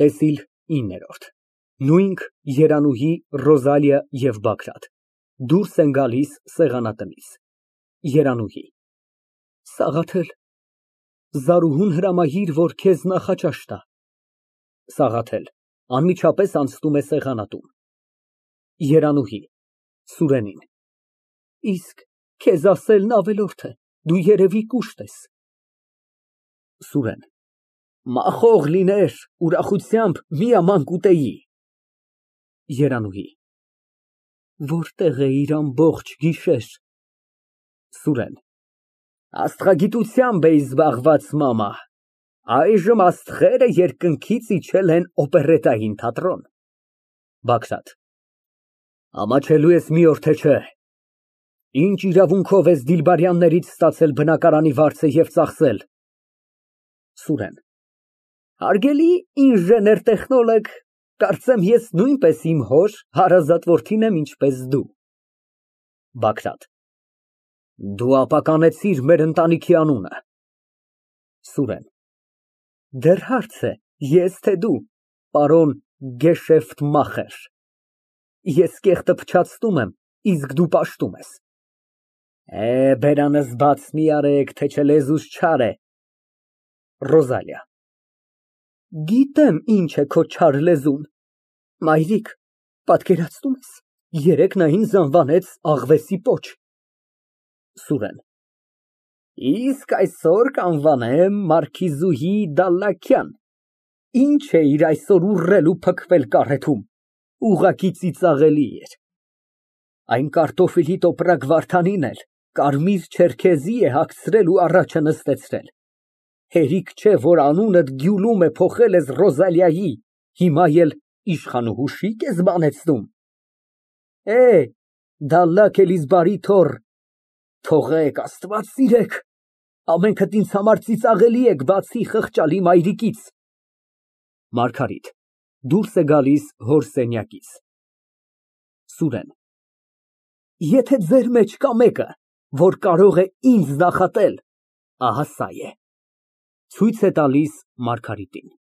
ՏԵՍԻԼ ԻՆՆԵՐՈՐԴ Նույնք Երանուհի, Ռոզալիա և Բագրատ դուրս են գալիս սեղանատնից։ ԵՐԱՆՈՒՀԻ ֊ Սաղաթել, Զարուհուն հրամայիր, որ քեզ նախաճաշ տա։ ՍԱՂԱԹԵԼ ֊ (Անմիջապես անցնում է սեղանատուն)։ ԵՐԱՆՈՒՀԻ ֊ (Սուրենին) Իսկ քեզ ասելն ավելորդ է, դու երևի կուշտ ես։ ՍՈՒՐԵՆ ֊ Մախոխ լիներ, ուրախությամբ մի աման կուտեի։ ԵՐԱՆՈՒՀԻ ֊ Որտեղ էիր ամբողջ գիշեր։ ՍՈՒՐԵՆ ֊ Աստղագիտությամբ էի զբաղված, մամա, այժմ աստղերը երկնքից իջել են օպերետային թատրոն։ ԲԱԳՐԱՏ ֊ Ամաչելո՞ւ ես մի օր, թե չէ։ Ինչ իրավունքով ես Դիլբարյաններից ստացել բնակարանի վարձը և ծախսել։ ՍՈՒՐԵՆ ֊ Հարգելի ինժեներ֊տեխնոլոգ, կարծեմ ես նույնպես իմ հոր հարազատ որդին եմ, ինչպես դու։ ԲԱԳՐԱՏ ֊ Դու ապականեցիր մեր ընտանիքի անունը։ ՍՈՒՐԵՆ ֊ Դեռ հարց է, ես թե դու, պարոն Գեշեֆտմախեր։ Ես կեղտը փչացնում եմ, իսկ դու պաշտում ես։ Բերանս բաց մի արեք, թե չէ լեզուս չար է։ ՌՈԶԱԼԻԱ ֊ Գիտեմ ինչ է քո չար լեզուն։ Մայրիկ, պատկերացնու՞մ ես, երեկ նա ինձ անվանեց աղվեսի պոչ։ ՍՈՒՐԵՆ ֊ Իսկ այսօր կանվանեմ մարքիզուհի Դալլաքյան, ինչ էիր այսօր ուռել ու փքվել կարեթում, ուղղակի ծիծաղելի էր։ Այն կարտոֆիլի տոպրակ Վարդանին էլ կարմիր չերքեզի է հագցրել ու առաջը նստեցրել։ Հերիք չէ, որ անունդ Գյուլում է փոխել ես Ռոզալիայի, հիմա էլ իշխանուհու շիկ ես բանեցնում։ Դալլաք Էլիզբարի թոռ, թողեք, Աստված սիրեք, ամենքդ ինձ համար ծիծաղելի եք, բացի խղճալի մայրիկից։ ՄԱՐԳԱՐԻՏ ֊ (Դուրս է գալիս հոր սենյակից)։ ՍՈՒՐԵՆ ֊ Եթե ձեր մեջ կա մեկը, որ կարող է ինձ նախատել, ահա սա է։ (Ցույց է տալիս Մարգարիտին)։